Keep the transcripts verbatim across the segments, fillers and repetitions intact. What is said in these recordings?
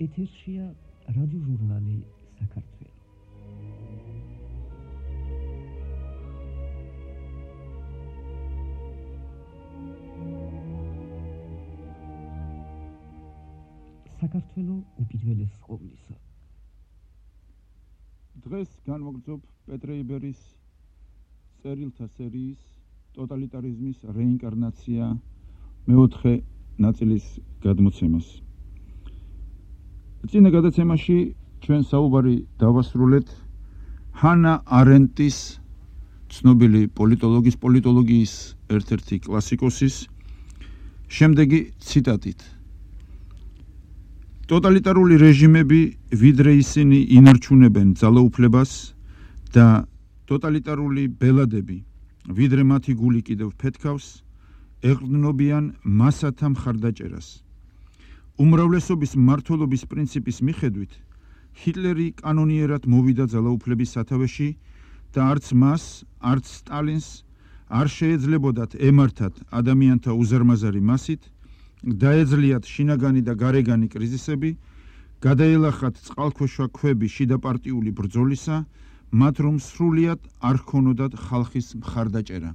ეთერშია რადიოჟურნალი საქართველო. საქართველო უპირველეს ყოვლისა. დღეს განვაგრძობ პეტრე იბერის წერილთა სერიის ტოტალიტარიზმის რეინკარნაცია მეოთხე ნაწილის გადმოცემას. წინა გადაცემაში ჩვენ საუბარი დავასრულეთ ჰანა არენტის, ცნობილი პოლიტოლოგის, პოლიტოლოგიის ერთ-ერთი კლასიკოსის შემდეგი ციტატით. ტოტალიტარული რეჟიმები, ვიდრე ისინი ინარჩუნებენ ძალაუფლებას და ტოტალიტარული ბელადები, ვიდრე მათი გული კიდევ ფეთქავს, ეყრდნობიან მასათა მხარდაჭერას. უმრავლესობის მმართველობის პრინციპის მიხედვით, ჰიტლერი კანონიერად მოვიდა ძალაუფლების სათავეში და არც მას, არც სტალინს არ შეეძლებოდათ ემართათ ადამიანთა უზარმაზარი მასით, დაეძლიათ შინაგანი და გარეგანი კრიზისები, გადაელახათ წყალქვეშა ქვები შიდაპარტიული ბრძოლისა, მათ რომ სრულიად არ ჰქონოდათ ხალხის მხარდაჭერა.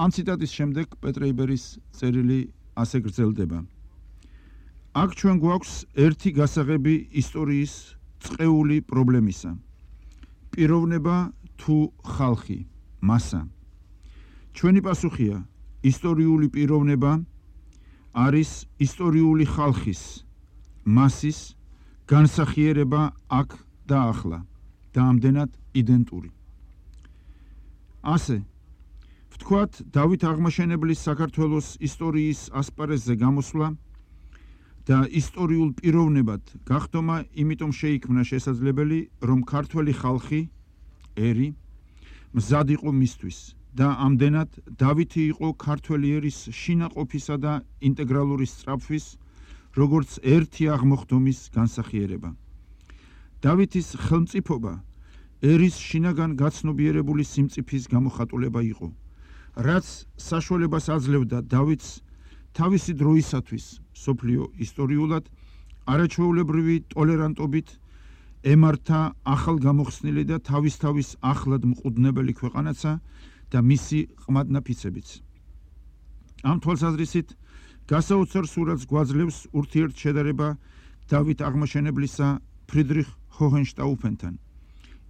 ამ ციტატის შემდეგ პეტრე იბერის წერილი ასე გრძელდება. აქ ჩვენ გვაქვს ერთი გასაღები ისტორიის წყეული პრობლემისა. პიროვნება თუ ხალხი, მასა. ჩვენი პასუხია, ისტორიული პიროვნება არის ისტორიული ხალხის, მასის განსახიერება აქ და ახლა და ამდენად იდენტური. ასე, ვთქვათ, დავით აღმაშენებლის საქართველოს ისტორიის ასპარეზზე გამოსვლა და ისტორიულ პიროვნებად გახდომა იმიტომ შეიქმნა შესაძლებელი, რომ ქართველი ხალხი, ერი, მზად იყო მისთვის და ამდენად დავითი იყო ქართველი ერის შინაყოფისა და ინტეგრალური სწრაფვის, როგორც ერთი აღმოხდომის განსახიერება. დავითის ხელმწიფობა ერის შინაგან გაცნობიერებული სიმწიფის გამოხატულება იყო, რაც საშუალებას აძლევდა დავითს თავისი დროისათვის სოფლიო ისტორიულად არაჩვეულებრივი ტოლერანტობით ემართა ახალგამოხსნილი და თავის-თავის ახლად მყუდნებელი ქვეყანაცა და მისი ყმადნაფიცებიც. ამ თვალსაზრისით გასაოცარ სურათს გვაძლევს ურთიერთშედარება დავით აღმაშენებლისა ფრიდრიხ ჰოჰენშტაუფენთან,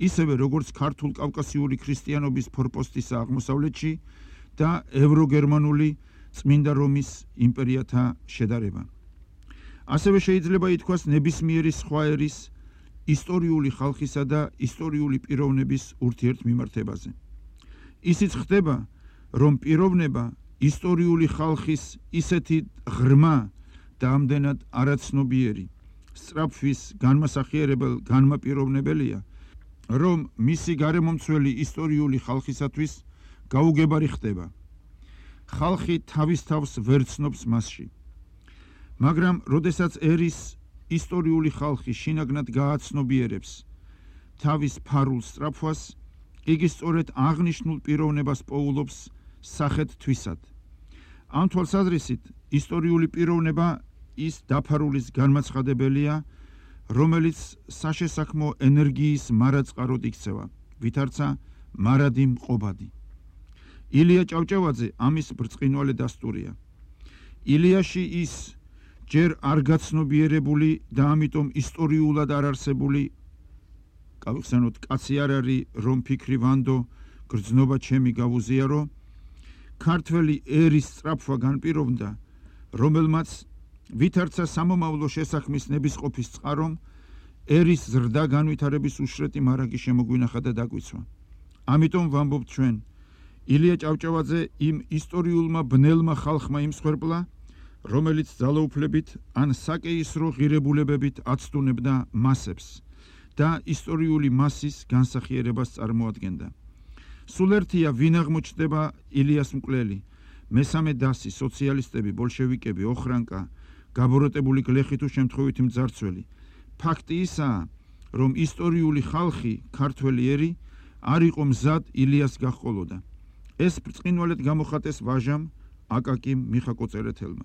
ისევე როგორც ქართულ კავკასიური ქრისტიანობის ფორპოსტისა აღმოსავლეთში და ევროგერმანული წმინდა რომის იმპერიათა შედარება. ასევე შეიძლება ითქვას ნებისმიერი სხვა ერის ისტორიული ხალხისა და ისტორიული პიროვნების ურთიერთმიმართებაზე. ისიც ხდება, რომ პიროვნება ისტორიული ხალხის ისეთი ღრმა და ამდენად არაცნობიერი, სწრაფვის განმასახიერებელ განმაპიროვნებელია, რომ მისი გარემომცველი ისტორიული ხალხისათვის გაუგებარი ხდება. ხალხი თავის თავს ვერ ცნობს მასში. მაგრამ როდესაც ერის ისტორიული ხალხი შინაგნად გააცნობიერებს თავის ფარულ სწრაფვას, იგი სწორედ აღნიშნულ პიროვნებას პოულობს სახეთ თვისად. ამ თვალსაზრისით ისტორიული პიროვნება ის დაფარულის განმაცხადებელია, რომელიც საშესაქმო ენერგიის მარაწყაროდ იქცევა, ვითარცა მარადი მყობადი. ილია ჭავჭავაძე ამის ბრწყინვალე დასტურია. ილიაში ის ჯერ არ გაცნობიერებული და ამიტომ ისტორიულად არ არსებული, გავიხსენოთ, კაცი არ არის, რომ ფიქრი ვანდო, გრძნობა ჩემი გავუზიარო, ქართველი ერის სწრაფვა განპირობდა, რომელმაც ვითარცა სამომავლო შესაქმის ნებისყოფის წყარომ ერის ზრდა განვითარების უშრეტი მარაგი შემოგვინახა და დაგვიცვა. ამიტომ ვამბობთ ჩვენ, ილია ჭავჭავაძე იმ ისტორიულმა ბნელმა ხალხმა იმსხვერპლა, რომელიც ძალაუფლებით ან საკეისრო ღირებულებებით აცდუნებდა მასებს და ისტორიული მასის განსახიერებას წარმოადგენდა. სულ ერთია ვინ აღმოჩნდება ილიას მკვლელი, მესამე დასი, სოციალისტები, ბოლშევიკები, ოხრანკა, გაბოროტებული გლეხი თუ შემთხვევითი მძარცველი. ფაქტი ისაა, რომ ისტორიული ხალხი, ქართველი ერი, არ იყო მზად ილიას გაჰყოლოდა. ეს ბრწყინვალედ გამოხატეს ვაჟამ აკაკიმ მიხაკოწერეთელმა.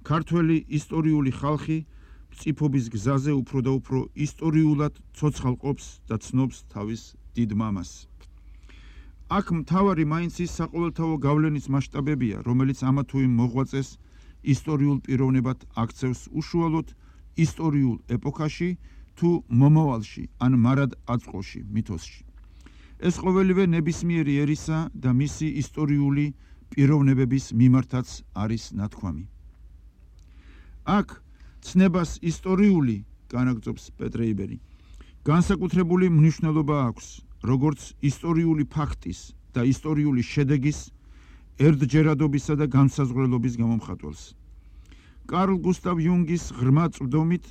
ქართველი ისტორიული ხალხი მწიფობის გზაზე უფრო და უფრო ისტორიულად ცოცხალ ყოფს და ცნობს თავის დიდ მამას. აქ მთავარი მაინც ის საყოველთაო გავლენის მასშტაბებია, რომელიც ამა თუ იმ მოღვაწეს ისტორიულ პიროვნებად აქცევს უშუალოდ ისტორიულ ეპოქაში თუ მომავალში ან მარად აწყოში მითოსში. ეს ყოველივე ნებისმიერი ერისა და მისი ისტორიული პიროვნებების მიმართაც არის ნათქვამი. აქ ცნებას ისტორიული, განაგრძობს პეტრეიბერი, განსაკუთრებული მნიშვნელობა აქვს, როგორც ისტორიული ფაქტის და ისტორიული შედეგის ერთჯერადობისა და განსაზღვრელობის გამომხატველს. კარლ გუსტავ იუნგის ღრმა წვდომით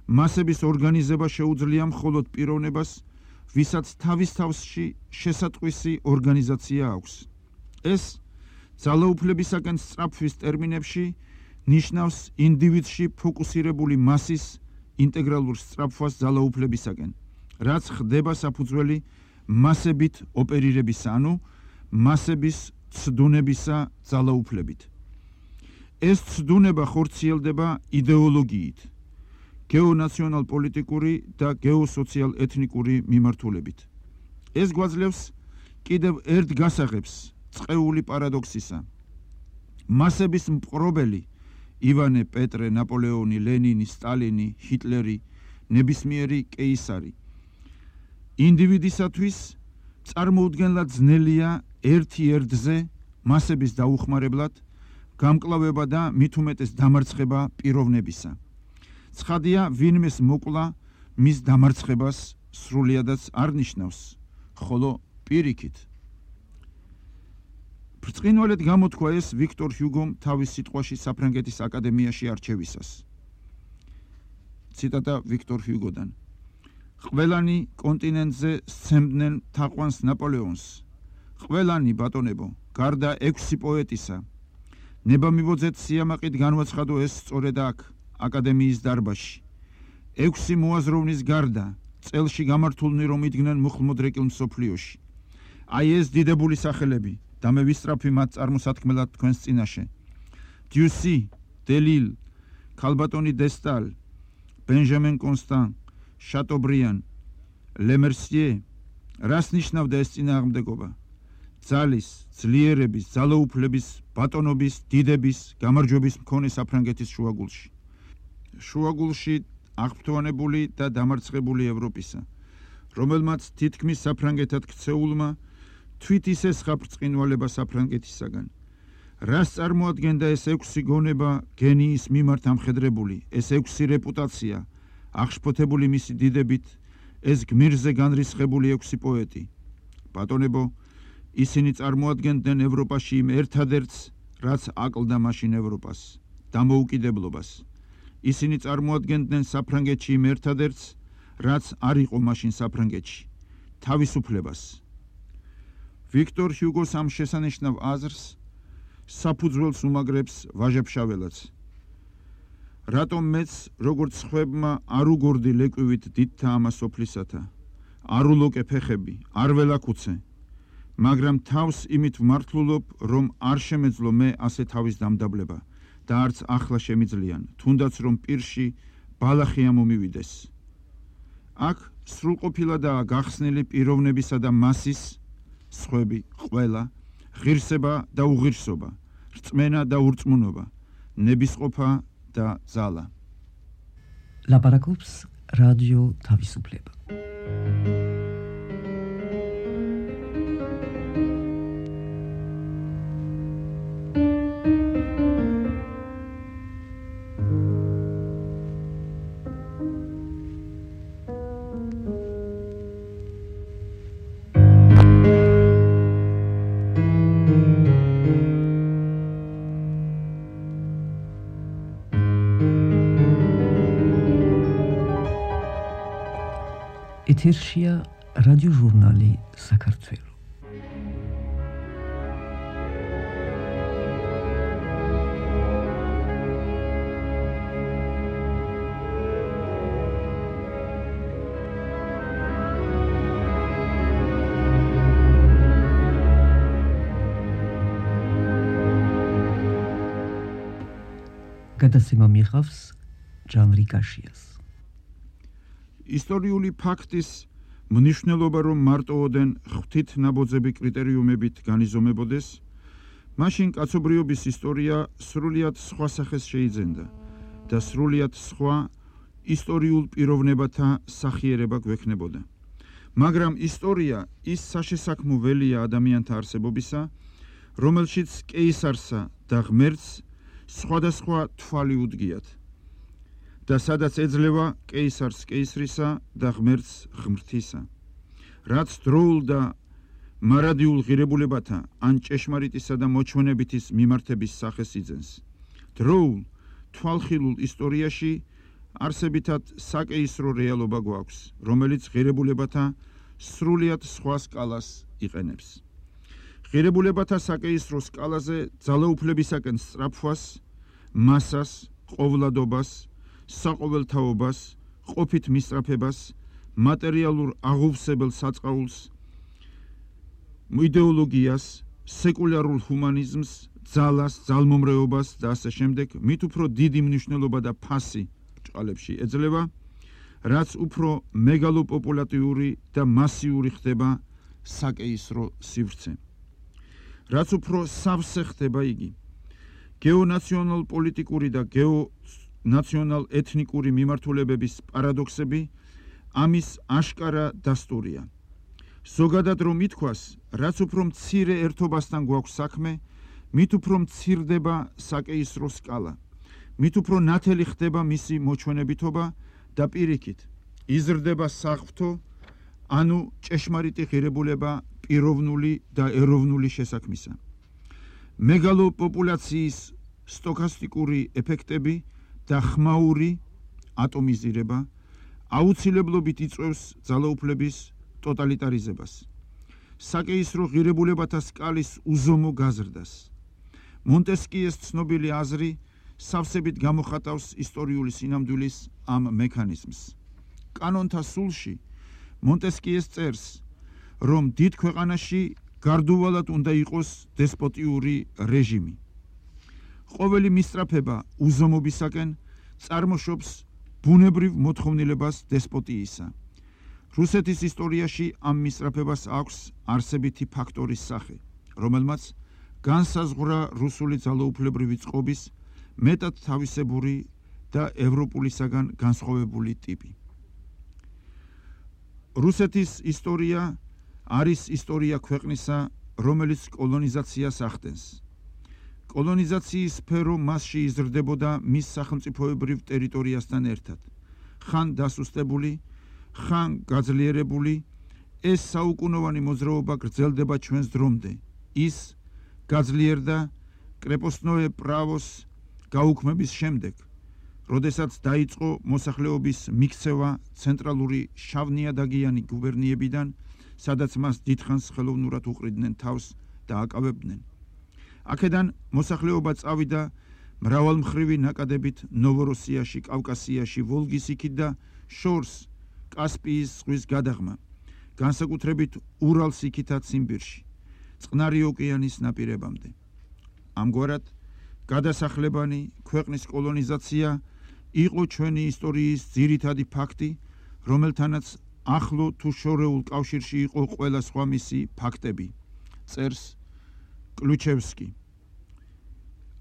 მასების ორგანიზება შეუძლია მხოლოდ პიროვნებას, ვისაც თავის თავში შესატყვისი ორგანიზაცია აქვს. ეს ძალაუფლებისაკენ სწრაფვის ტერმინებში ნიშნავს ინდივიდში ფოკუსირებული მასის ინტეგრალურ სწრაფვას ძალაუფლებისაკენ, რაც ხდება საფუძველი მასებით ოპერირებისა, ანუ მასების ცდუნებისა ძალაუფლებით. ეს ცდუნება ხორციელდება იდეოლოგიით, გეონაციონალ-პოლიტიკური და გეოსოციალ-ეთნიკური მიმართულებით. ეს გვაძლევს კიდევ ერთ გასაღებს წყეული პარადოქსისა. მასების მპყრობელი ივანე, პეტრე, ნაპოლეონი, ლენინი, სტალინი, ჰიტლერი, ნებისმიერი კეისარი ინდივიდისათვის წარმოუდგენლად ძნელია ერთი ერთზე მასების დაუხმარებლად გამკლავება და მით უმეტეს დამარცხება პიროვნებისა. ცხადია, ვინმეს მოკლა მის დამარცხებას სრულიადაც არ ნიშნავს, ხოლო პირიქით. ბრწყინვალედ გამოთქვა ეს ვიქტორ ჰიუგომ თავის სიტყვაში საფრანგეთის აკადემიაში არჩევისას. ციტატა ვიქტორ ჰიუგოდან. ყველანი კონტინენტზე სცემდნენ თაყვანს ნაპოლეონს. ყველანი, ბატონებო, გარდა ექვსი პოეტისა. ნება მივოძეთ სიამაყით განვაცხადო ეს სწორედ აქ, აკადემიის დარბაზში. ექვსი მოაზროვნის გარდა, წელში გამართულნი რომ იდგნენ მუხლმოდრეკილ მსოფლიოში. აი ეს დიდებული სახელები და მე ვისწრაფი მათ წარმოსათქმელად თქვენს წინაშე. დიუსი, დელილ, ქალბატონი დესტალ, ბენჟამენ კონსტან, შატობრიან, ლემერსიე, რას ნიშნავდა ეს წინააღმდეგობა? ძალის, ძლიერების, ძალაუფლების, ბატონობის, დიდების, გამარჯვების მქონე საფრანგეთის შუაგულში. შუაგულში აღფრთოვანებული და დამარცხებული ევროპისა, რომელმაც თითქმის საფრანგეთად ქცეულმა თვით ისესხა ბრწყინვალება საფრანგეთისაგან. რას წარმოადგენდა ეს ექვსი გონება გენიის მიმართ ამხედრებული, ეს ექვსი რეპუტაცია, აღშფოთებული მისი დიდებით, ეს გმირზე განრისხებული ექვსი პოეტი? ბატონებო, ისინი წარმოადგენდნენ ევროპაში იმ ერთადერთს, რაც აკლდა მაშინ ევროპას, დამოუკიდებლობას. ისინი წარმოადგენდნენ საფრანგეთში იმ ერთადერთს, რაც არ იყო მაშინ საფრანგეთში, თავისუფლებას. ვიქტორ ჰიუგოს ამ შესანიშნავ აზრს საფუძველს უმაგრებს ვაჟა-ფშაველაც. რატომ მეც, როგორც სხვებმა, არ უგორდი ლეკვივით დიდთა ამას სოფლისათა, არ ულოკე ფეხები, არ ველაქუცე, მაგრამ თავს იმით ვმართლულობ, რომ არ შემეძლო მე ასე თავის დამდაბლება და არც ახლა შემიძლიან, თუნდაც რომ პირში ბალახი ამომივიდეს. აქ სრულყოფილადაა გახსნილი პიროვნებისა და მასის, სხვები, ყველა, ღირსება და უღირსობა, რწმენა და ურწმუნობა, ნებისყოფა და ძალა. ლაპარაკობს რადიო თავისუფლება. ეთერშია რადიოჟურნალი საქართველო. გადაცემა მიიღავს ჟანრი გაშიას. ისტორიული ფაქტის მნიშვნელობა რომ მარტოოდენ ღვთით ნაბოძები კრიტერიუმებით განიზომებოდეს, მაშინ კაცობრიობის ისტორია სრულიად სხვა სახეს შეიძენდა და სრულიად სხვა ისტორიულ პიროვნებათა სახიერება გვექნებოდა. მაგრამ ისტორია ის საშესაქმო ველია ადამიანთა არსებობისა, რომელშიც კეისარსა და ღმერთს სხვადასხვა თვალი უდგიათ და სადაც ეძლევა კეისარს კეისრისა და ღმერთს ღმრთისა, რაც დროულ და მარადიულ ღირებულებათა ან ჭეშმარიტისა და მოჩვენებითის მიმართების სახეს იძენს. დროულ თვალხილულ ისტორიაში არსებითად საკეისრო რეალობა გვაქვს, რომელიც ღირებულებათა სრულიად სხვა სკალას იყენებს. ღირებულებათა საკეისრო სკალაზე ძალაუფლებისაკენ სწრაფვას, მასას, ყოვლადობას, საყოველთაობას, ყოფით მისწრაფებას, მატერიალურ აღუვსებელ საწყაულს, იდეოლოგიას, სეკულარულ ჰუმანიზმს, ძალას, ძალმომრეობას და ასე შემდეგ, მით უფრო დიდი მნიშვნელობა და ფასი ბრჭყალებში ეძლევა, რაც უფრო მეგალოპოპულატიური და მასიური ხდება საკეისრო სივრცე. რაც უფრო სავსე ხდება იგი. გეონაციონალ პოლიტიკური და გეონაციონალ ეთნიკური მიმართულებების პარადოქსები ამის აშკარა დასტურია. ზოგადად რომ ითქვას, რაც უფრო მცირე ერთობასთან გვაქვს საქმე, მით უფრო მცირდება საკეისრო სკალა, მით უფრო ნათელი ხდება მისი მოჩვენებითობა და პირიქით იზრდება საღვთო, ანუ ჭეშმარიტი ღირებულება პიროვნული და ეროვნული შესაქმისა. მეგალოპოპულაციის სტოქასტიკური ეფექტები და ხმაური ატომიზირება აუცილებლობით იწვევს ძალაუფლების ტოტალიტარიზებას, საკეისრო ღირებულებათა სკალის უზომო გაზრდას. მონტესკიეს ცნობილი აზრი სავსებით გამოხატავს ისტორიული სინამდვილის ამ მექანიზმს. კანონთა სულში მონტესკიეს წერს, რომ დიდ ქვეყანაში გარდუვალად უნდა იყოს დესპოტიური რეჟიმი. ყოველი მისწრაფება უზომობისაკენ წარმოშობს ბუნებრივ მოთხოვნილებას დესპოტიისა. რუსეთის ისტორიაში ამ მისწრაფებას აქვს არსებითი ფაქტორის სახე, რომელმაც განსაზღვრა რუსული ძალაუფლებრივი წყობის მეტად თავისებური და ევროპულისაგან განსხვავებული ტიპი. რუსეთის ისტორია არის ისტორია ქვეყნისა, რომელიც კოლონიზაციას ახდენს. კოლონიზაციის სფერო მასში იზრდებოდა მის სახელმწიფოებრივ ტერიტორიასთან ერთად. ხან დასუსტებული, ხან გაძლიერებული, ეს საუკუნოვანი მოძრაობა გრძელდება ჩვენს დრომდე. ის გაძლიერდა კრეპოსნოე პრავოს გაუქმების შემდეგ, როდესაც დაიწყო მოსახლეობის მიქცევა ცენტრალური შავნიადაგიანი გუბერნიებიდან, სადაც მას დიდხანს ხელოვნურად უყრიდნენ თავს და აკავებდნენ. აქედან მოსახლეობა წავიდა მრავალმხრივი ნაკადებით ნოვოროსიაში, კავკასიაში, ვოლგის იქით და შორს კასპიის ზღვის გადაღმა, განსაკუთრებით ურალს იქითაც ციმბირში, წყნარი ოკეანის ნაპირებამდე. ამგვარად, გადასახლებანი ქვეყნის კოლონიზაცია იყო ჩვენი ისტორიის ძირითადი ფაქტი, რომელთანაც ახლო თუ შორეულ კავშირში იყო ყველა სხვა მისი ფაქტები, წერს კლუჩევსკი.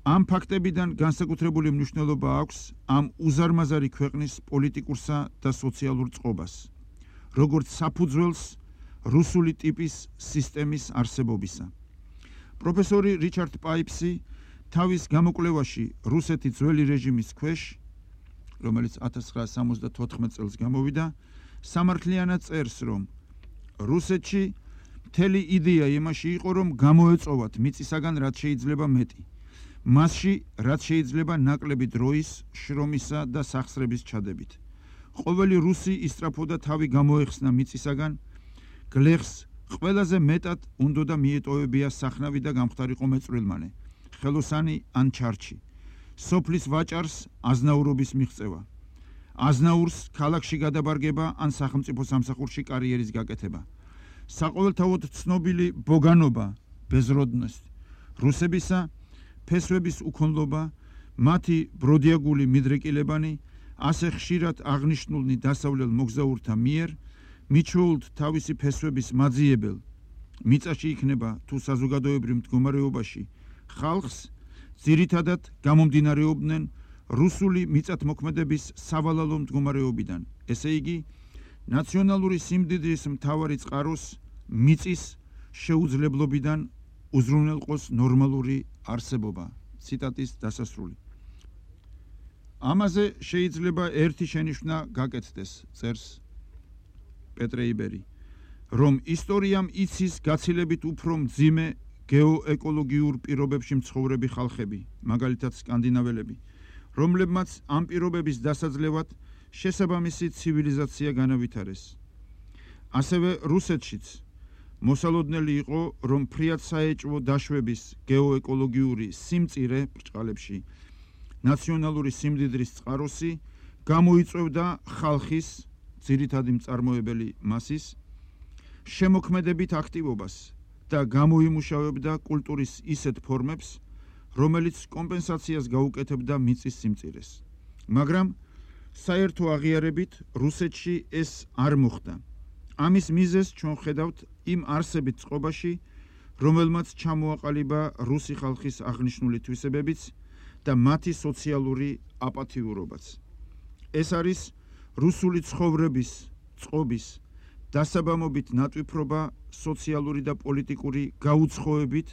ამ ფაქტებიდან განსაკუთრებული მნიშვნელობა აქვს ამ უზარმაზარი ქვეყნის პოლიტიკურსა და სოციალურ წყობას, როგორც საფუძველს რუსული ტიპის სისტემის არსებობისა. პროფესორი რიჩარდ პაიპსი თავის გამოკვლევაში რუსეთი ძველი რეჟიმის ქვეშ, რომელიც ათას ცხრაასი სამოცდათოთხმეტ წელს გამოვიდა, სამართლიანად წერს, რომ რუსეთში მთელი იდეა იმაში იყო, რომ გამოეწოვათ მიწისაგან რაც შეიძლება მეტი, მასში რაც შეიძლება ნაკლები დროის, შრომისა და სახსრების ჩადებით. ყოველი რუსი ისწრაფოდა თავი გამოეხსნა მიწისაგან, გლეხს ყველაზე მეტად უნდოდა მიეტოვებია სახნავი და გამხდარიყო მეწვრილმანე, ხელოსანი ან ჩარჩი, სოფლის ვაჭარს აზნაურობის მიღწევა, აზნაურს ქალაქში გადაბარგება ან სახელმწიფო სამსახურში კარიერის გაკეთება, საყოველთაოდ ცნობილი ბოგანობა, ბეზროდნოს, რუსებისა, ფესვების უქონლობა, მათი ბროდიაგული მიდრეკილებანი, ასე ხშირად აღნიშნულნი დასავლელ მოგზაურთა მიერ მიჩვეულთ თავისი ფესვების მაძიებელ მიწაში იქნება თუ საზოგადოებრივ მდგომარეობაში ხალხს ძირითადად გამომდინარეობდნენ რუსული მიწათმოქმედების სავალალო მდგომარეობიდან, ესე იგი ნაციონალური სიმდიდრის მთავარი წყაროს მიწის შეუძლებლობიდან უზრუნველყოს ნორმალური არსებობა. ციტატის დასასრული. ამაზე შეიძლება ერთი შენიშვნა გაკეთდეს, წერს პეტრე იბერი, რომ ისტორიამ იცის გაცილებით უფრო მძიმე გეოეკოლოგიურ პირობებში მცხოვრები ხალხები, მაგალითად სკანდინაველები, რომლებმაც ამ პირობების დასაძლევად შესაბამისი ცივილიზაცია განავითარეს. ასევე რუსეთშიც მოსალოდნელი იყო, რომ ფრიად საეჭვო დაშვების გეოეკოლოგიური სიმწირე ბრჭყალებში ნაციონალური სიმდიდრის წყაროსი გამოიწვევდა ხალხის ძირითადი მწარმოებელი მასის შემოქმედებით აქტივობას და გამოიმუშავებდა კულტურის ისეთ ფორმებს, რომელიც კომპენსაციას გაუკეთებდა მიწის სიმწირეს. მაგრამ საერთო აღიარებით რუსეთში ეს არ მოხდა. ამის მიზეზს ჩვენ ხედავთ იმ არსებით წყობაში, რომელმაც ჩამოაყალიბა რუსი ხალხის აღნიშნული თვისებებიც და მათი სოციალური აპათიურობაც. ეს არის რუსული ცხოვრების, წყობის, დასაბამობით ნატვიფრობა სოციალური და პოლიტიკური გაუცხოებით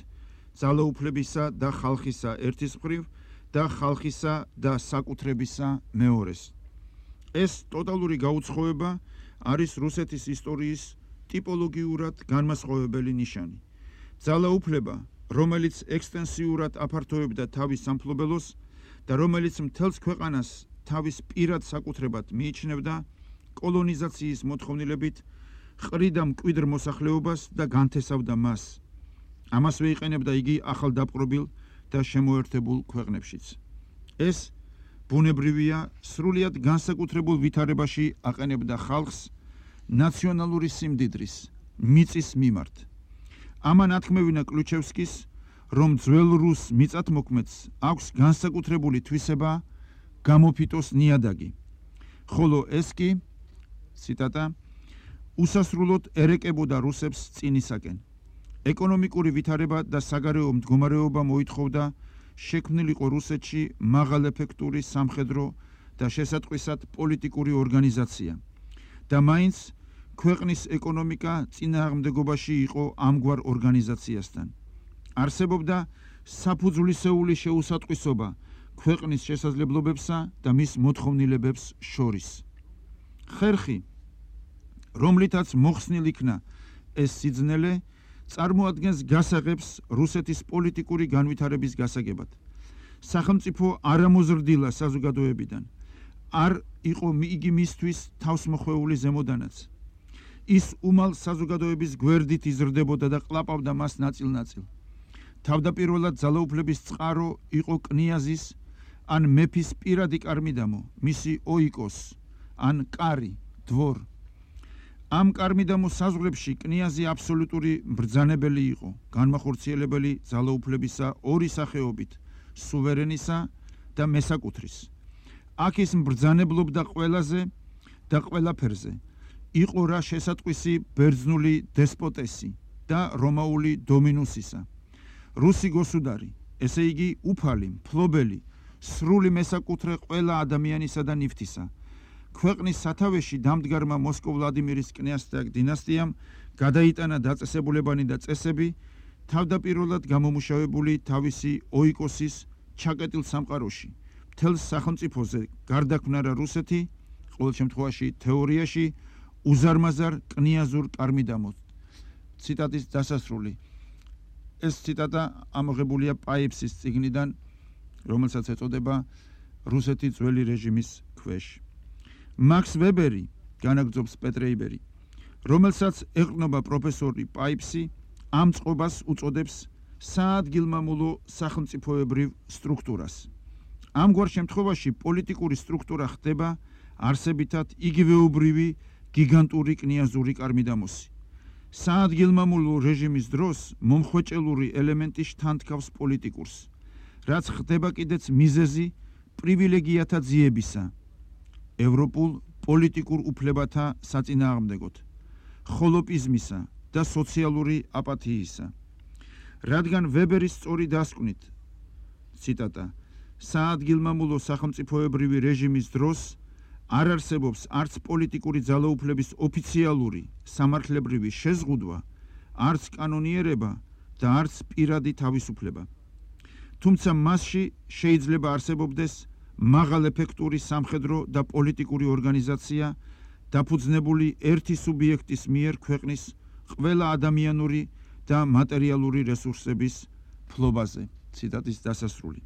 ძალაუფლებისა და ხალხისა ერთის მხრივ და ხალხისა და საკუთრებისა მეორეს. ეს ტოტალური გაუცხოება არის რუსეთის ისტორიის ტიპოლოგიურად განმასხვავებელი ნიშანი. ძალაუფლება, რომელიც ექსტენსიურად აფართოვებდა თავის სამფლობელოს და რომელიც მთელს ქვეყანას თავის პირად საკუთრებად მიიჩნევდა, კოლონიზაციის მოთხოვნილებით ყრიდა მკვიდრ მოსახლეობას და განთესავდა მას. ამასვე იყენებდა იგი ახალდაპყრობილ და შემოერთებულ ქვეყნებშიც. ეს ბუნებრივია, სრულიად განსაკუთრებულ ვითარებაში აყენებდა ხალხს ნაციონალური სიმდიდრის, მიწის მიმართ. ამან ათქმევინა კლიუჩევსკის, რომ ძველ რუს მიწათმოქმედს აქვს განსაკუთრებული თვისება გამოფიტოს ნიადაგი, ხოლო ეს კი, ციტატა, უსასრულოდ ერეკებოდა რუსებს წინისაკენ. ეკონომიკური ვითარება და საგარეო მდგომარეობა მოითხოვდა შექმნილიყო რუსეთში მაღალეფექტური სამხედრო და შესატყვისად პოლიტიკური ორგანიზაცია და მაინც ქვეყნის ეკონომიკა წინააღმდეგობაში იყო ამგვარ ორგანიზაციასთან. არსებობდა საფუძვლისეული შეუსატყვისობა ქვეყნის შესაძლებლობებსა და მის მოთხოვნილებებს შორის. ხერხი, რომლითაც მოხსნილ იქნა ეს სიძნელე, წარმოადგენს გასაღებს რუსეთის პოლიტიკური განვითარების გასაგებად. სახელმწიფო არამოზრდილა საზოგადოებიდან არ იყო იგი მისთვის თავსმოხვეული ზემოდანაც. ის უმალ საზოგადოების გვერდით იზრდებოდა და ყლაპავდა მას ნაწილ-ნაწილ. თავდაპირველად ძალაუფლების წყარო იყო კნიაზის ან მეფის პირადი კარმიდამო, მისი ოიკოს ან კარი, დვორ. ამ კარმიდამო საზღვრებში კნიაზი აბსოლუტური ბრძანებელი იყო, განმახორციელებელი ძალაუფლებისა ორი სახეობით, სუვერენისა და მესაკუთრის. აქ ის ბრძანებლობდა ყველაზე და ყველაფერზე. იყო რა შესატყვისი ბერძნული დესპოტესი და რომაული დომინუსისა. რუსი გოსუდარი, ესე იგი უფალი, მფლობელი, სრული მესაკუთრე ყველა ადამიანისა და ნივთისა. ქვეყნის სათავეში დამდგარმა მოსკოვ-ვლადიმირის კნიაზთა დინასტიამ გადაიტანა დაწესებულებანი და წესები, თავდაპირველად გამომუშავებული თავისი ოიკოსის ჩაკეტილ სამყაროში. მთელს სახელმწიფოზე გარდაქმნარა რუსეთი, ყოველ შემთხვევაში თეორიაში, უზარმაზარ კნიაზურ კარმიდამოდ. ციტატის დასასრული. ეს ციტატა ამოღებულია პაიფსის წიგნიდან, რომელსაც ეწოდება რუსეთი ძველი რეჟიმის ქვეშ. მაქს ვებერი, განაგრძობს პეტრე იბერი, რომელსაც ეყრდნობა პროფესორი პაიფსი, ამ წყობას უწოდებს საადგილმამულო სახელმწიფოებრივ სტრუქტურას. ამგვარ შემთხვევაში პოლიტიკური სტრუქტურა ხდება არსებითად იგივეობრივი გიგანტური კნიაზური კარმიდამოსი. საადგილმამულო რეჟიმის დროს მომხვეჭელური ელემენტი შთანთქავს პოლიტიკურს, რაც ხდება კიდეც მიზეზი პრივილეგიათა ძიებისა. ევროპულ პოლიტიკურ უფლებათა საწინააღმდეგოდ, ხოლოპიზმისა და სოციალური აპათიისა. რადგან ვებერის სწორი დასკვნით, ციტატა, საადგილმამულო სახელმწიფოებრივი რეჟიმის დროს არ არსებობს არც პოლიტიკური ძალაუფლების ოფიციალური სამართლებრივი შეზღუდვა, არც კანონიერება და არც პირადი თავისუფლება. თუმცა მასში შეიძლება არსებობდეს მაღალეფექტური სამხედრო და პოლიტიკური ორგანიზაცია, დაფუძნებული ერთი სუბიექტის მიერ ქვეყნის ყველა ადამიანური და მატერიალური რესურსების ფლობაზე. ციტატის დასასრული.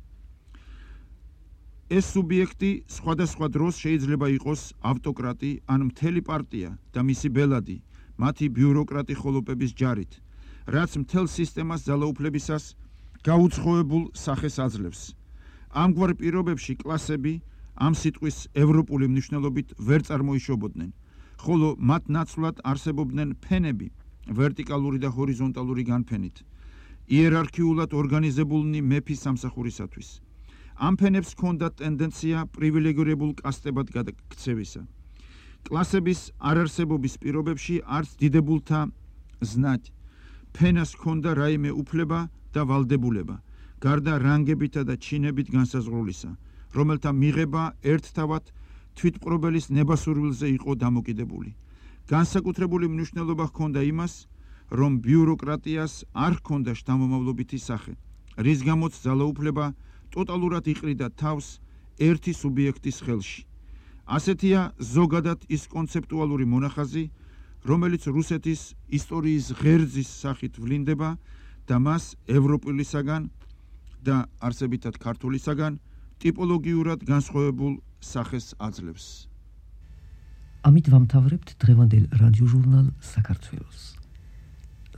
ეს სუბიექტი სხვადასხვა დროს შეიძლება იყოს ავტოკრატი ან მთელი პარტია და მისი ბელადი, მათი ბიუროკრატი ხოლოპების ჯარით, რაც მთელ სისტემას ძალაუფლებისას გაუცხოებულ სახეს აძლევს. ამგვარ პირობებში კლასები ამ სიტყვის ევროპული მნიშვნელობით ვერ წარმოიშობოდნენ, ხოლო მათ ნაცვლად არსებობდნენ ფენები, ვერტიკალური და ჰორიზონტალური განფენით, იერარქიულად ორგანიზებულნი მეფის სამსახურისათვის. ამ ფენებს ჰქონდათ ტენდენცია პრივილეგირებულ კასტებად გადაქცევისა. კლასების არარსებობის პირობებში არც დიდებულთა ზნად ფენას ჰქონდა რაიმე უფლება და ვალდებულება, გარდა რანგებითა და ჩინებით განსაზღვრულისა, რომელთა მიღება ერთთავად თვითპყრობელის ნებასურვილზე იყო დამოკიდებული. განსაკუთრებული მნიშვნელობა ჰქონდა იმას, რომ ბიუროკრატიას არ ჰქონდა შთამომავლობითი სახე, რის გამოც ძალაუფლება ტოტალურად იყრიდა თავს ერთი სუბიექტის ხელში. ასეთია ზოგადად ის კონცეპტუალური მონახაზი, რომელიც რუსეთის ისტორიის ღერძის სახით ვლინდება და მას ევროპულისაგან და არსებითად ქართულისაგან ტიპოლოგიურად განსხვავებულ სახეს აძლევს. ამით ვამთავრებთ დღევანდელ რადიოჟურნალ საქართველოს.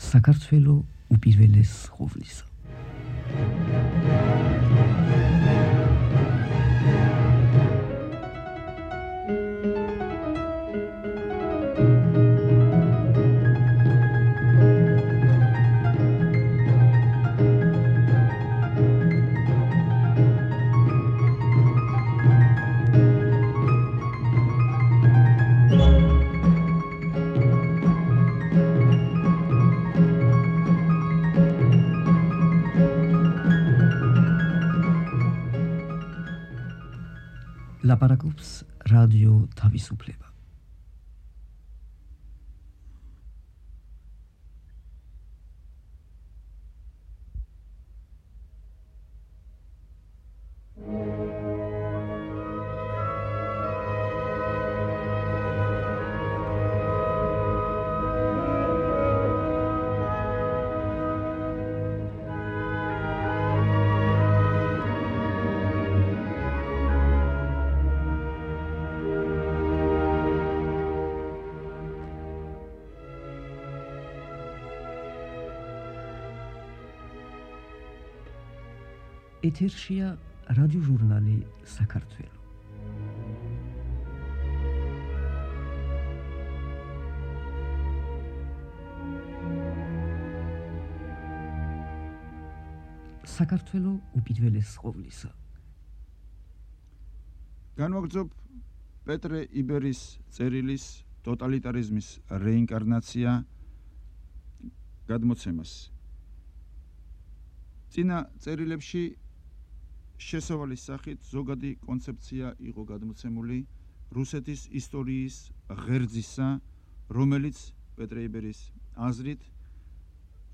საქართველო უპირველეს ყოვლისა. ლაპარაკობს რადიო თავისუფლება. ეთერშია რადიოჟურნალი საქართველო. საქართველო უპირველეს ყოვლისა. განვაგრძობ პეტრე იბერის წერილის ტოტალიტარიზმის რეინკარნაცია გადმოცემას. წინა წერილებში შესავალის სახით ზოგადი კონცეფცია იყო გადმოცემული რუსეთის ისტორიის ღერძისა, რომელიც პეტრე იბერის აზრით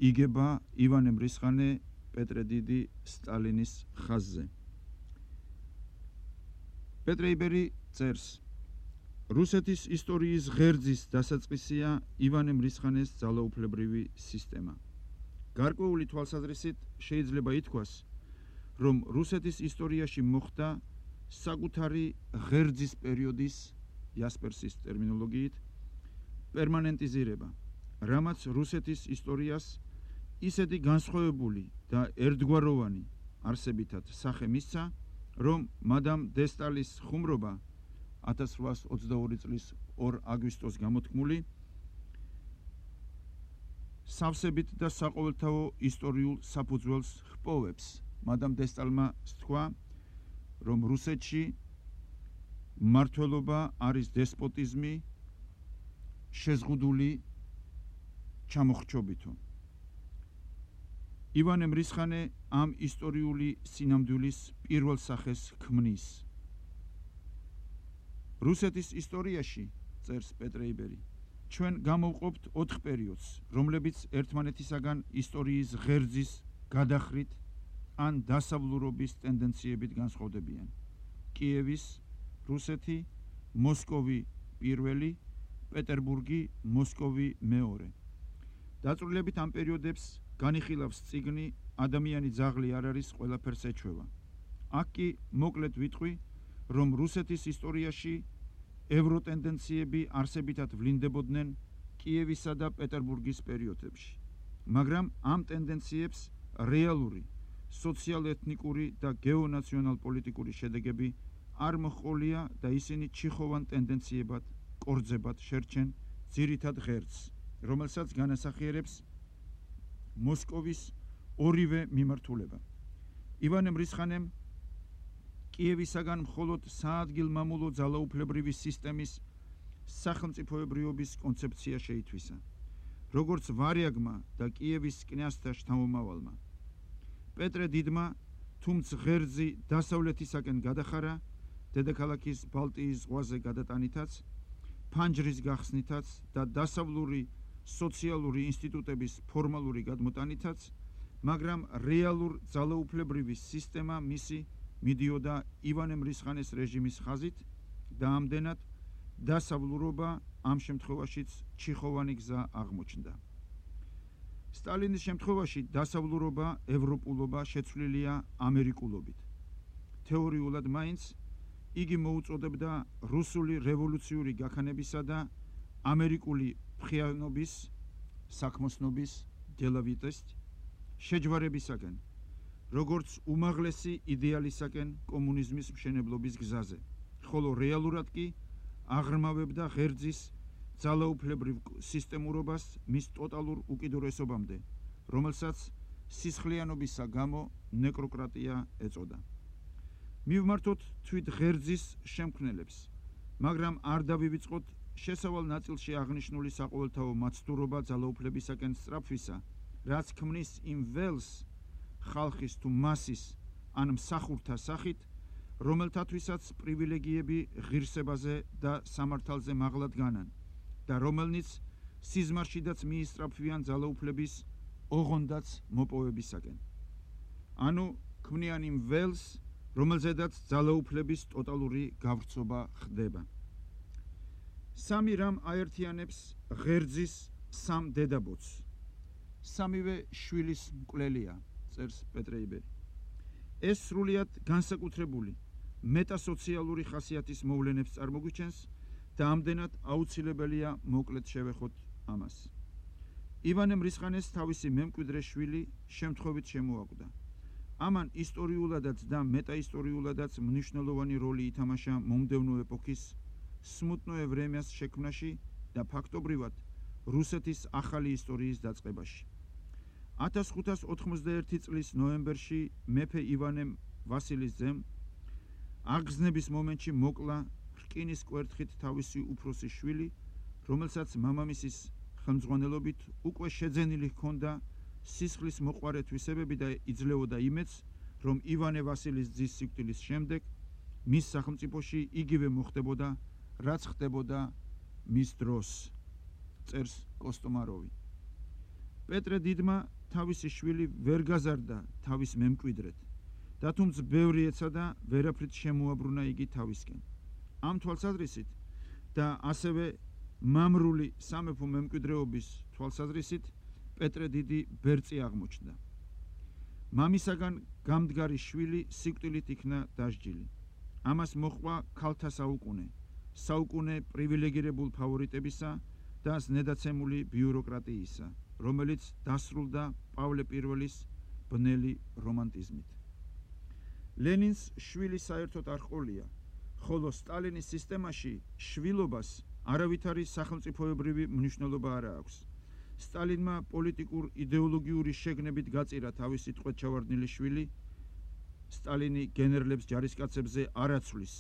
იგება ივანე მრისხანე პეტრე დიდი სტალინის ხაზზე. პეტრე იბერი წერს: რუსეთის ისტორიის ღერძის დასაწყისია ივანე მრისხანეს ძალაუფლებრივი სისტემა. გარკვეული თვალსაზრისით შეიძლება ითქვას, რომ რუსეთის ისტორიაში მოხდა საკუთარი ღერძის პერიოდის, იასპერსის ტერმინოლოგიით, პერმანენტიზირება, რამაც რუსეთის ისტორიას ისეთი განსხვავებული და ერთგვაროვანი არსებითად სახე მისცა, რომ მადამ დე სტალის ხუმრობა ათას რვაას ოცდაორი წლის ორ აგვისტოს გამოთქმული სავსებით და საყოველთაო ისტორიულ საფუძველს ჰპოვებს. მადამ დე სტალმა სთქვა, რომ რუსეთში მმართველობა არის დესპოტიზმი შეზღუდული ჩამოხრჩობითო. ივანე მრისხანე ამ ისტორიული სინამდვილის პირველ სახეს ქმნის. რუსეთის ისტორიაში, წერს პეტრე იბერი, ჩვენ გამოვყოფთ ოთხ პერიოდს, რომლებიც ერთმანეთისაგან ისტორიის ღერძის გადახრით ან დასავლურობის ტენდენციებით განსხვავდებიან. კიევის, რუსეთი, მოსკოვი პირველი, პეტერბურგი, მოსკოვი მეორე. დაწვრილებით ამ პერიოდებს განიხილავს წიგნი ადამიანი ძაღლი არ არის ყველაფერს ეჩვევა. აქ კი მოკლედ ვიტყვი, რომ რუსეთის ისტორიაში ევროტენდენციები არსებითად ვლინდებოდნენ კიევისა და პეტერბურგის პერიოდებში. მაგრამ ამ ტენდენციებს რეალური, სოციალ-ეთნიკური და გეონაციონალ-პოლიტიკური შედეგები არ მოჰყოლია და ისინი ჩიხოვან ტენდენციებად, კორძებად შერჩენ ძირითად ღერძს, რომელსაც განასახიერებს მოსკოვის ორივე მიმართულება. ივანე მრისხანემ კიევისაგან მხოლოდ საადგილმამულო ძალაუფლებრივი სისტემის სახელმწიფოებრიობის კონცეფცია შეითვისა, როგორც ვარიაგმა და კიევის კნязьთა შთამომავალმა. პეტრე დიდმა, თუმც ღერძი დასავლეთისაკენ გადახარა, დედაქალაქის ბალტიის ზღვაზე გადატანითაც, ფანჯრის გახსნითაც და დასავლური სოციალური ინსტიტუტების ფორმალური გადმოტანითაც, მაგრამ რეალურ ძალაუფლებრივი სისტემა მისი მიდიოდა ივანე მრისხანეს რეჟიმის ხაზით და ამდენად დასავლურობა ამ შემთხვევაშიც ჩიხოვანი გზა აღმოჩნდა. სტალინის შემთხვევაში დასავლურობა, ევროპულობა შეცვლილია ამერიკულობით. თეორიულად მაინც იგი მოუწოდებდა რუსული რევოლუციური გაქანებისა და ამერიკული ფრიანობის, საქმოსნობის, დელავიტეს შეჯვარებისაკენ, როგორც უმაღლესი იდეალისაკენ კომუნიზმის მშენებლობის გზაზე, ხოლო რეალურად კი აღრმავებდა ღერძის ძალაუფლებრივ სისტემურობას მის ტოტალურ უკიდურესობამდე, რომელსაც სისხლიანობისა გამო ნეკროკრატია ეწოდა. მივმართოთ თვით ღერძის შემქმნელებს, მაგრამ არ დავივიწყოთ შესავალ ნაწილში აღნიშნული საყოველთაო მაცდურობა ძალაუფლებისაკენ სწრაფვისა, რაც ქმნის იმ ველს ხალხის თუ მასის ან მსახურთა სახით, რომელთათვისაც პრივილეგიები ღირსებაზე და სამართალზე მაღლად განან და რომელნიც სიზმარშიდაც მიისწრაფვიან ძალაუფლების ოღონდაც მოპოვებისაკენ. ანუ ქმნიან იმ ველს, რომელზედაც ძალაუფლების ტოტალური გავრცობა ხდება. სამი რამ აერთიანებს ღერძის სამ დედაბოძს. სამივე შვილის მკვლელია, წერს პეტრე იბერი. ეს სრულიად განსაკუთრებული მეტასოციალური ხასიათის მოვლენებს წარმოგვიჩენს და ამდენად აუცილებელია მოკლედ შევეხოთ ამას. ივანე მრისხანეს თავისი მემკვიდრე შვილი შემთხვევით შემოაკვდა. ამან ისტორიულადაც და მეტაისტორიულადაც მნიშვნელოვანი როლი ითამაშა მომდევნო ეპოქის სმუტნოე ვრემიას შექმნაში და ფაქტობრივად რუსეთის ახალი ისტორიის დაწყებაში. ათას ხუთას ოთხმოცდაერთი წლის ნოემბერში მეფე ივანე ვასილის ძემ აღგზნების მომენტში მოკლა რკინის კვერთხით თავისი უფროსი შვილი, რომელსაც მამამისის ხელმძღვანელობით უკვე შეძენილი ჰქონდა სისხლის მოყვარე თვისებები და იძლეოდა იმედს, რომ ივანე ვასილის ძის სიკვდილის შემდეგ მის სახელმწიფოში იგივე მოხდებოდა, რაც ხდებოდა მის დროს, წერს კოსტომაროვი. პეტრე დიდმა თავისი შვილი ვერ გაზარდა თავის მემკვიდრედ და თუმც ბევრი ეცადა, ვერაფრით შემოაბრუნა იგი თავისკენ. ამ თვალსაზრისით და ასევე მამრული სამეფო მემკვიდრეობის თვალსაზრისით პეტრე დიდი ბერწი აღმოჩნდა. მამისაგან გამდგარი შვილი სიკვდილით იქნა დასჯილი. ამას მოჰყვა ქალთა საუკუნე, საუკუნე პრივილეგირებულ ფავორიტებისა და ზნედაცემული ბიუროკრატიისა, რომელიც დასრულდა პავლე პირველის ბნელი რომანტიზმით. ლენინს შვილი საერთოდ არ ჰყოლია, ხოლო სტალინის სისტემაში შვილობას არავითარი სახელმწიფოებრივი მნიშვნელობა არ აქვს. სტალინმა პოლიტიკურ იდეოლოგიური შეგნებით გაწირა თავისი ტყვედ ჩავარდნილი შვილი, სტალინი გენერლებს ჯარისკაცებზე არ აცვლის,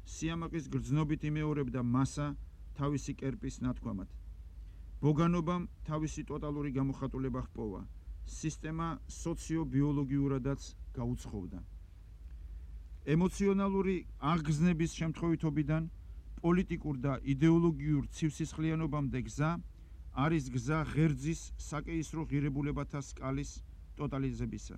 სიამაყის გრძნობით იმეორებდა მასა თავისი კერპის ნათქვამად. ბოგანობამ თავისი ტოტალური გამოხატულება ჰპოვა. სისტემა სოციო-ბიოლოგიურადაც გაუცხოვდა. ემოციონალური აღგზნების შემთხვევითობიდან პოლიტიკურ და იდეოლოგიურ ცივსისხლიანობამდე გზა არის გზა ღერძის საკეისრო ღირებულებათა სკალის ტოტალიზებისა.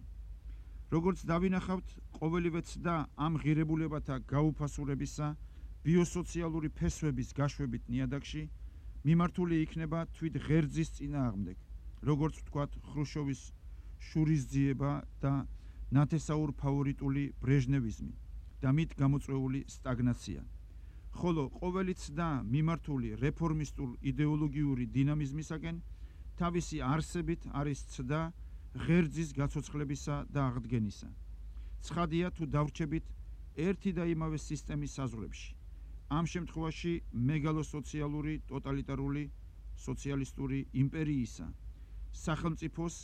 როგორც დავინახავთ, ყოველივე ცდა ამ ღირებულებათა გაუფასურებისა ბიოსოციალური ფესვების გაშვებით ნიადაგში მიმართული იქნება თვით ღერძის წინააღმდეგ, როგორც ვთქვათ, ხრუშჩოვის შურისძიება და ნათესაურ ფავორიტული ბრეჟნევიზმი და მით გამოწვეული სტაგნაცია. ხოლო ყოველი ცდა მიმართული რეფორმისტულ იდეოლოგიური დინამიზმისაკენ თავისი არსებით არის ცდა ღერძის გაცოცხლებისა და აღდგენისა. ცხადია თუ დავრჩებით ერთი და იმავე სისტემის საზღვრებში. ამ შემთხვევაში მეგალოსოციალური ტოტალიტარული სოციალისტური იმპერიისა სახელმწიფოს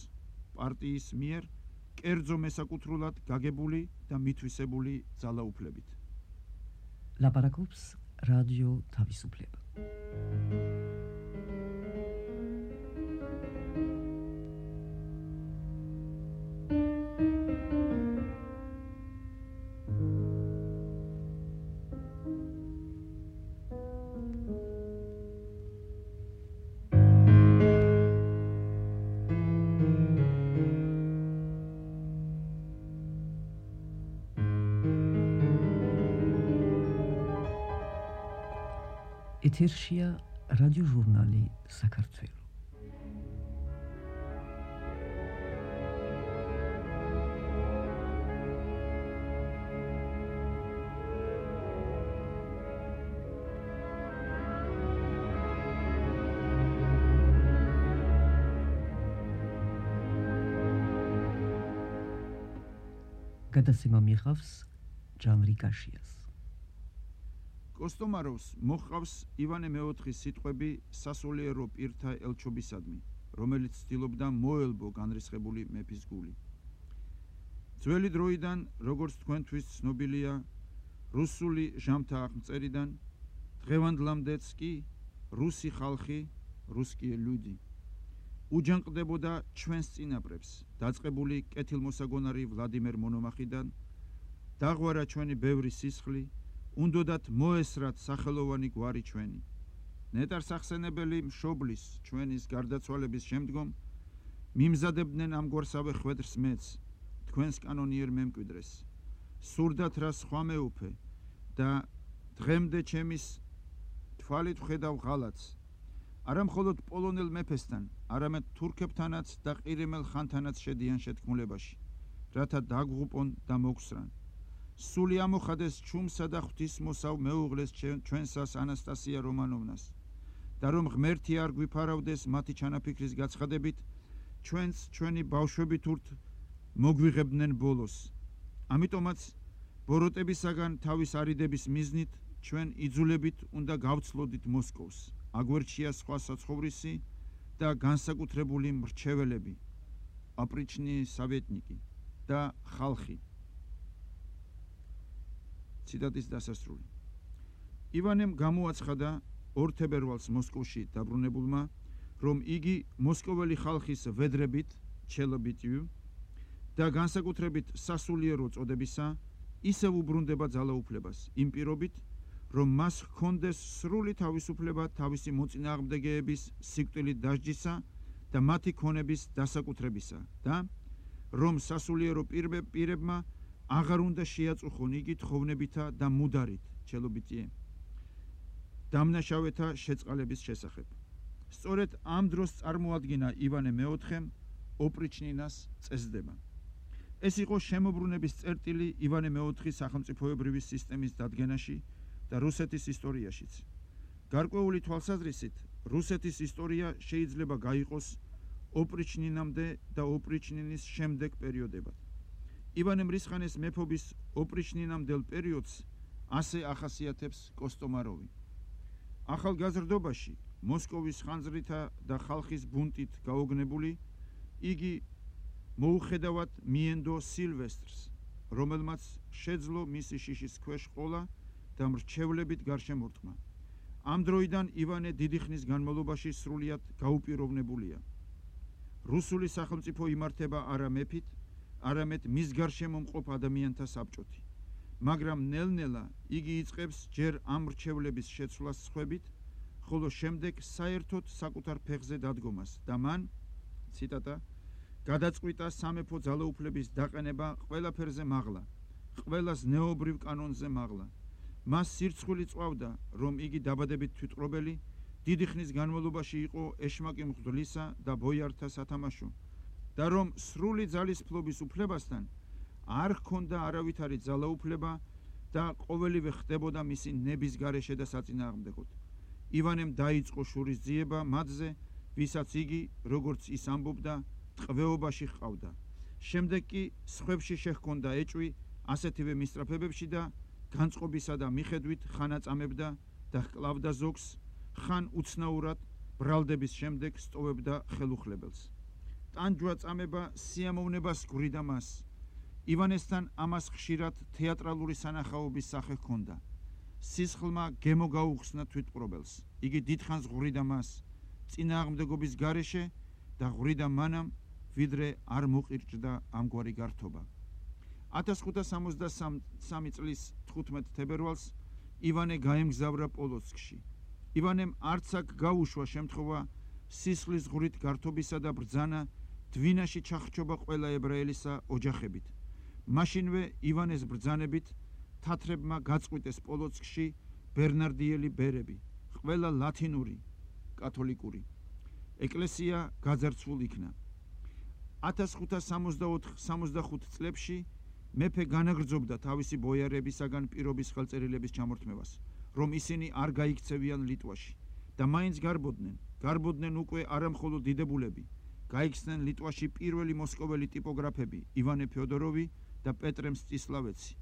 პარტიის მიერ კერძო მესაკუთრულად გაგებული და მითვისებული ძალაუფლებით. ლაპარაკობს რადიო თავისუფლება. ეთერშია რადიო ჟურნალი საქართველო. გადაცემა მიიღავს ჟანრი კაშიას. კოსტომაროვს მოჰყავს ივანე მეოთხის სიტყვები სასულიერო პირთა ელჩობისადმი, რომელიც ცდილობდა მოელბო განრისხებული მეფის გული. ძველი დროიდან, როგორც თქვენთვის ცნობილია, რუსული ჟამთა აღმწერიდან, დღევანდლამდეც კი რუსი ხალხი, რუსკიე ლუდი, უჯანყდებოდა ჩვენს წინაპრებს, დაწყებული კეთილმოსაგონარი ვლადიმერ მონომახიდან, დაღვარა ჩვენი ბევრი სისხლი, უნდოდათ მოესრათ სახელოვანი გვარი ჩვენი. ნეტარსახსენებელი მშობლის ჩვენის გარდაცვალების შემდგომ მიმზადებდნენ ამგვარსავე ხვედრს მეც, თქვენს კანონიერ მემკვიდრეს. სურდათ რა სხვა მეუფე და დღემდე ჩემის თვალით ვხედავ ღალატს. არა მხოლოდ პოლონელ მეფესთან, არამედ თურქებთანაც და ყირიმელ ხანთანაც შედიან შეთქმულებაში, რათა დაგღუპონ და მოგსრან. სული ამოხადეს ჩუმსა და ღვთისმოსავ მეუღლეს ჩვენსას ანასტასია რომანოვნას და რომ ღმერთი არ გვიფარავდეს მათი ჩანაფიქრის გაცხადებით, ჩვენც ჩვენი ბავშვებით ურთ მოგვიღებდნენ ბოლოს. ამიტომაც ბოროტებისაგან თავის არიდების მიზნით ჩვენ იძულებით უნდა გავცლოდით მოსკოვს. აგვერჩია სხვა საცხოვრისი და განსაკუთრებული მრჩეველები, აპრიჩნი სავეტნიკი და ხალხი. ციტატის დასასრული. ივანემ გამოაცხადა ორ თებერვალს მოსკოვში დაბრუნებულმა, რომ იგი მოსკოველი ხალხის ვედრებით, ჩელობიტიუ და განსაკუთრებით სასულიერო წოდებისა ისევ უბრუნდება ძალაუფლებას, იმ პირობით, რომ მას ჰქონდეს სრული თავისუფლება თავისი მოწინააღმდეგეების სიკვდილით დასჯისა და მათი ქონების დასაკუთრებისა და რომ სასულიერო პირებმა აღარ უნდა შეაწუხონ იგი თხოვნებითა და მუდარით, ჩელობიტიე, დამნაშავეთა შეწყალების შესახებ. სწორედ ამ დროს წარმოადგინა ივანე მეოთხემ ოპრიჩნინას წესდება. ეს იყო შემოbrunების წერტილი ივანე მეოთხის სახელმწიფოებრივი სისტემის დადგენაში და რუსეთის ისტორიაშიც. გარკვეული თვალსაზრისით, რუსეთის ისტორია შეიძლება გაიყოს ოპრიჩნინამდე და ოპრიჩნინის შემდეგ პერიოდებად. ივანე მრისხანეს მეფობის ოპრიჩნინამდელ პერიოდს ასე ახასიათებს კოსტომაროვი. ახალგაზრდობაში, მოსკოვის ხანძრითა და ხალხის ბუნტით გაოგნებული, იგი მოუხედავად მიენდო სილვესტრს, რომელმაც შეძლო მისი შიშის ქვეშ ყოლა და მრჩევლებით გარშემორტყმა. ამ დროიდან ივანე დიდი ხნის განმავლობაში სრულიად გაუპიროვნებულია. რუსული სახელმწიფო იმართება არა მეფით, არამედ მის გარშემო მყოფ ადამიანთა საბჭოთი. მაგრამ ნელ-ნელა იგი იწყებს ჯერ ამ მრჩევლების შეცვლას სხვებით, ხოლო შემდეგ საერთოდ საკუთარ ფეხზე დადგომას და მან, ციტატა, გადაწყვიტა სამეფო ძალაუფლების დაყენება ყველაფერზე მაღლა, ყველას ნეობრივ კანონზე მაღლა. მას სირცხვილი წვავდა, რომ იგი დაბადებით თვითყრობელი, დიდი ხნის განმავლობაში იყო ეშმაკი მღვდლისა და ბოიართა სათამაშო და რომ სრული ძალისფლობის უფლებასთან არ ჰქონდა არავითარი ძალაუფლება და ყოველივე ხდებოდა მისი ნების გარეშე და საწინააღმდეგოდ. ივანემ დაიწყო შურისძიება მათზე, ვისაც იგი, როგორც ის ამბობდა, ტყვეობაში ჰყავდა. შემდეგ კი სხვებში შეჰქონდა ეჭვი ასეთივე მისწრაფებებში და განწყობისა და მიხედვით ხან აწამებდა და ჰკლავდა ზოგს, ხან უცნაურად ბრალდების შემდეგ სტოვებდა ხელუხლებელს. ტანჯვა წამება სიამოვნებას გვრიდა მას. ივანესთან ამას ხშირად თეატრალური სანახაობის სახე ჰქონდა. სისხლმა გემო გაუხსნა თვითმპყრობელს. იგი დიდხანს ღვრიდა მას წინააღმდეგობის გარეშე და ღვრიდა მანამ, ვიდრე არ მოყირჭდა ამგვარი გართობა. ათას ხუთა სამოცდასამი წლის თხუთმეტ თებერვალს ივანე გაემგზავრა პოლოცკში. ივანემ არც აქ გაუშვა შემთხვევა სისხლის ღვრით გართობისა და ბრძანა დვინაში ჩახრჩობა ყველა ებრაელისა ოჯახებით. მაშინვე ივანეს ბრძანებით თათრებმა გაწყვიტეს პოლოცკში ბერნარდიელი ბერები, ყველა ლათინური, კათოლიკური. ეკლესია გაძარცვულ იქნა. ათას ხუთა სამოცდახუთ წლებში მეფე განაგრძობდა თავისი ბოიარებისაგან პირობის ხელწერილების ჩამორთმევას, რომ ისინი არ გაიქცევიან ლიტვაში და მაინც გარბოდნენ, გარბოდნენ უკვე არამხოლოდ დიდებულები, გაიქცნენ ლიტვაში პირველი მოსკოველი ტიპოგრაფები ივანე ფეოდოროვი და პეტრე მსწისლავეცი,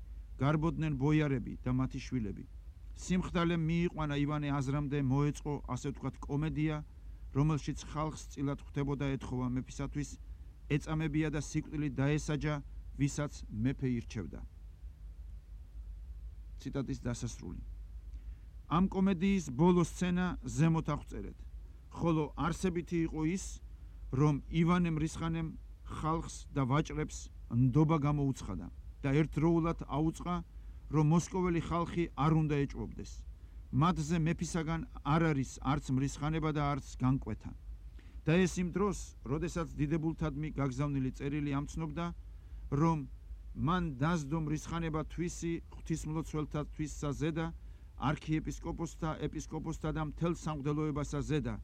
გარბოდნენ ბოიარები და მათი შვილები. სიმხდალემ მიიყვანა ივანე აზრამდე მოეწყო, ასე ვთქვათ, კომედია, რომელშიც ხალხს წილად ხვდებოდა ეთხოვა მეფისათვის, ეწამებია და სიკვდილით დაესაჯა, ვისაც მეფე ირჩევდა. ციტატის დასასრული. ამ კომედიის ბოლო სცენა ზემოთ აღწერეთ, ხოლო არსებითი იყო ის, რომ ივანე მრისხანემ ხალხს და ვაჭრებს ნდობა გამოუცხადა და ერთდროულად აუწყა, რომ მოსკოველი ხალხი არ უნდა ეჭვობდეს. მათზე მეფისაგან არ არის არც მრისხანება და არც განკვეთა. და ეს იმ დროს, როდესაც დიდებულთადმი გაგზავნილი წერილი ამცნობდა, რომ მან დასდო მრისხანება თვისი ღვთისმლოცველთა თვისსა ზედა, არქიეპისკოპოსთა, ეპისკოპოსთა და მთელ სამღვდელოებასა ზედა,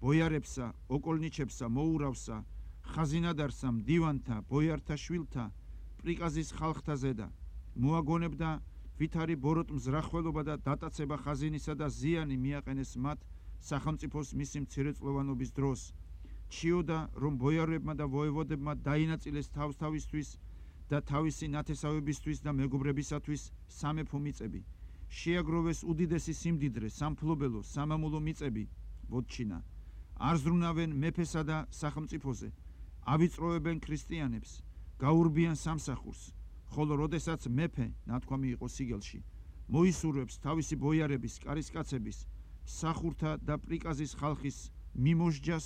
ბოიარებსა, ოკოლნიჩებსა, მოურავსა, ხაზინადარსა, მდივანთა, ბოიართა შვილთა, პრიკაზის ხალხთა ზედა, მოაგონებდა ვითარი ბოროტ მზრახველობა და დატაცება ხაზინისა და ზიანი მიაყენეს მათ სახელმწიფოს მისი მცირეწლოვანობის დროს. ჩიოდა, რომ ბოიარებმა და ვოევოდებმა დაინაწილეს თავსთავისთვის და თავისი ნათესავებისთვის და მეგობრებისათვის სამეფო მიწები. შეაგროვეს უდიდესი სიმდიდრე, სამფლობელო, სამამულო მიწები, ვოჩინა. არ ზრუნავენ მეფესა და სახელმწიფოზე, ავიწროებენ ქრისტიანებს, გაურბიან სამსახურს, ხოლო როდესაც მეფე, ნათქვამი იყო სიგელში, მოისურვებს თავისი ბოიარების, კარისკაცების, მსახურთა და პრიკაზის ხალხის მიმოშჯას,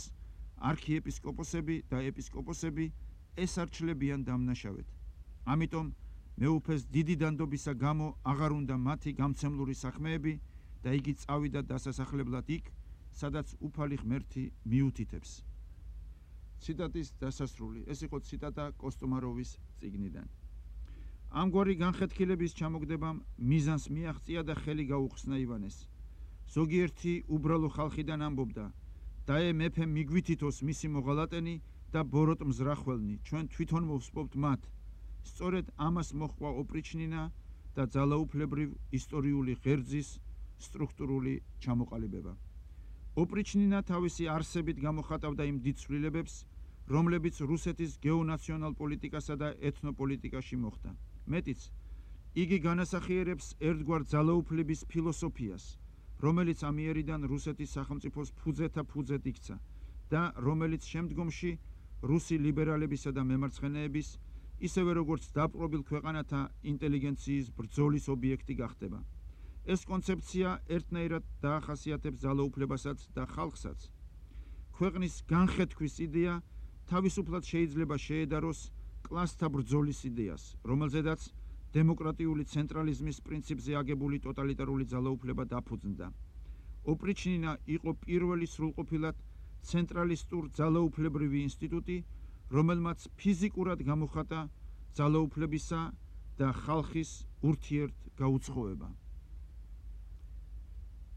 არქიეპისკოპოსები და ეპისკოპოსები ესარჩლებიან დამნაშავედ. ამიტომ მეუფეს დიდი დანდობისა გამო აღარ უნდა მათი გამცემლური საქმეები და იგი წავიდა დასასახლებლად იქ, სადაც უფალი ღმერთი მიუთითებს. ციტატის დასასრული. ეს იყო ციტატა კოსტომაროვის წიგნიდან. ამგვარი განხეთქილების ჩამოგდებამ მიზანს მიაღწია და ხელი გაუხსნა ივანეს. ზოგიერთი უბრალო ხალხიდან ამბობდა, დაე მეფე მიგვითითოს მისი მოღალატენი და ბოროტ მზრახველნი, ჩვენ თვითონ მოვსპობთ მათ. სწორედ ამას მოჰყვა ოპრიჩნინა და ძალაუფლებრივ ისტორიული ღერძის სტრუქტურული ჩამოყალიბება. ოპრიჩნინა თავისი არსებით გამოხატავდა იმ დიდ ცვლილებებს, რომლებიც რუსეთის გეონაციონალ პოლიტიკასა და ეთნოპოლიტიკაში მოხდა. მეტიც, იგი განასახიერებს ერთგვარ ძალაუფლების ფილოსოფიას, რომელიც ამიერიდან რუსეთის სახელმწიფოს ფუძეთა ფუძედ იქცა და რომელიც შემდგომში რუსი ლიბერალებისა და მემარცხენეების, ისევე როგორც დაპყრობილ ქვეყანათა ინტელიგენციის ბრძოლის ობიექტი გახდება. ეს კონცეფცია ერთნაირად დაახასიათებს ძალაუფლებასაც და ხალხსაც. ქვეყნის განხეთქვის იდეა თავისუფლად შეიძლება შეედაროს კლასთა ბრძოლის იდეას, რომელზედაც დემოკრატიული ცენტრალიზმის პრინციპზე აგებული ტოტალიტარული ძალაუფლება დაფუძნდა. ოპრიჩნინა იყო პირველი სრულყოფილად ცენტრალისტურ ძალაუფლებრივი ინსტიტუტი, რომელმაც ფიზიკურად გამოხატა ძალაუფლებისა და ხალხის ურთიერთ გაუცხოება.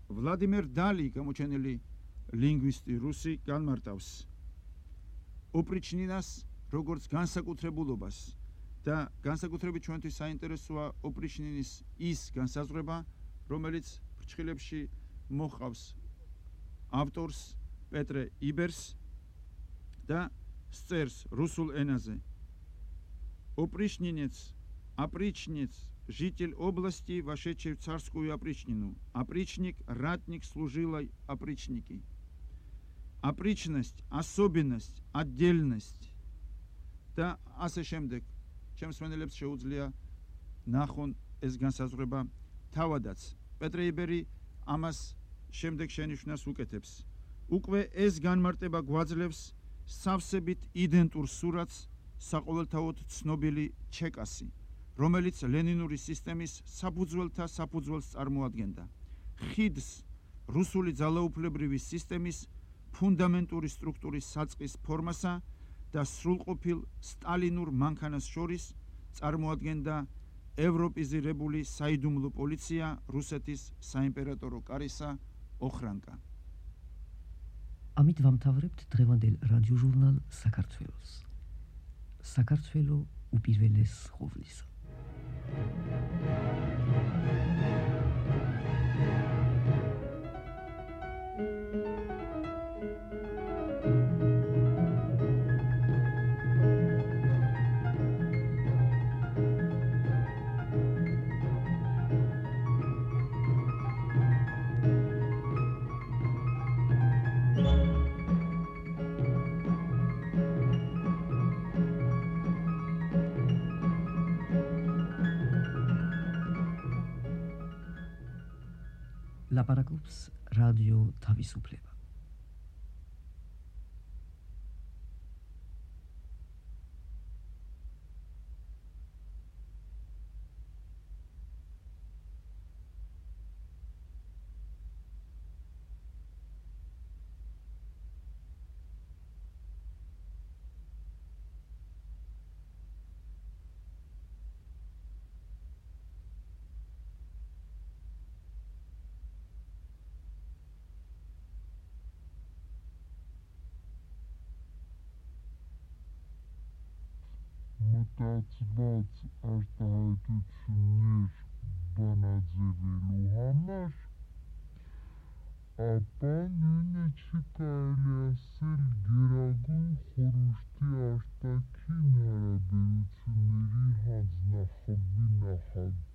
ვლადიმერ დალი, გამოჩენილი ლინგვისტი რუსი, განმარტავს ოპრიჩნინას როგორც განსაკუთრებულობას და განსაკუთრებით ჩვენთვის საინტერესოა ოპრიჩნინის ის განსაზღვრება, რომელიც ფრჩხილებში მოჰყავს ავტორს პეტრე იბერს და სწერს რუსულ ენაზე. Опричнинец, опричнец, житель области, вошедший в царскую опричнину. Опричник, ратник, служилой опричники. Опричность, особенность, отдельность. და ასე შემდეგ. ჩემს მენელებს შეუძლია ნახონ ეს განსაზღვრება თავადაც. პეტრე იბერი ამას შემდეგ შენიშვნას უკეთებს. უკვე ეს განმარტება გვაძლევს სავსებით იდენტურ სურათს საყოველთაოდ ცნობილი ჩეკასი, რომელიც ლენინური სისტემის საფუძველთა საფუძველს წარმოადგენდა. ხიდს რუსული ძალაუფლებრივი სისტემის ფუნდამენტური სტრუქტურის საწყის ფორმასა და სრულყოფილ სტალინურ მანქანას შორის წარმოადგენდა ევროპიზირებული საიდუმლო პოლიცია რუსეთის საიმპერატორო კარისა ოხრანკა. ამით ვამთავრებთ დღევანდელ რადიოჟურნალ საქართველოს. საქართველო უპირველეს ხოვლისა. ლაპარაკობს რადიო თავისუფლება. მტაცმაც արտահայտություններ բանաձևելու համար, ապա նույնը չի կարելի ասել գերագույն խորհրդի արտաքին հարաբերությունների հանձնախմբի նախագահ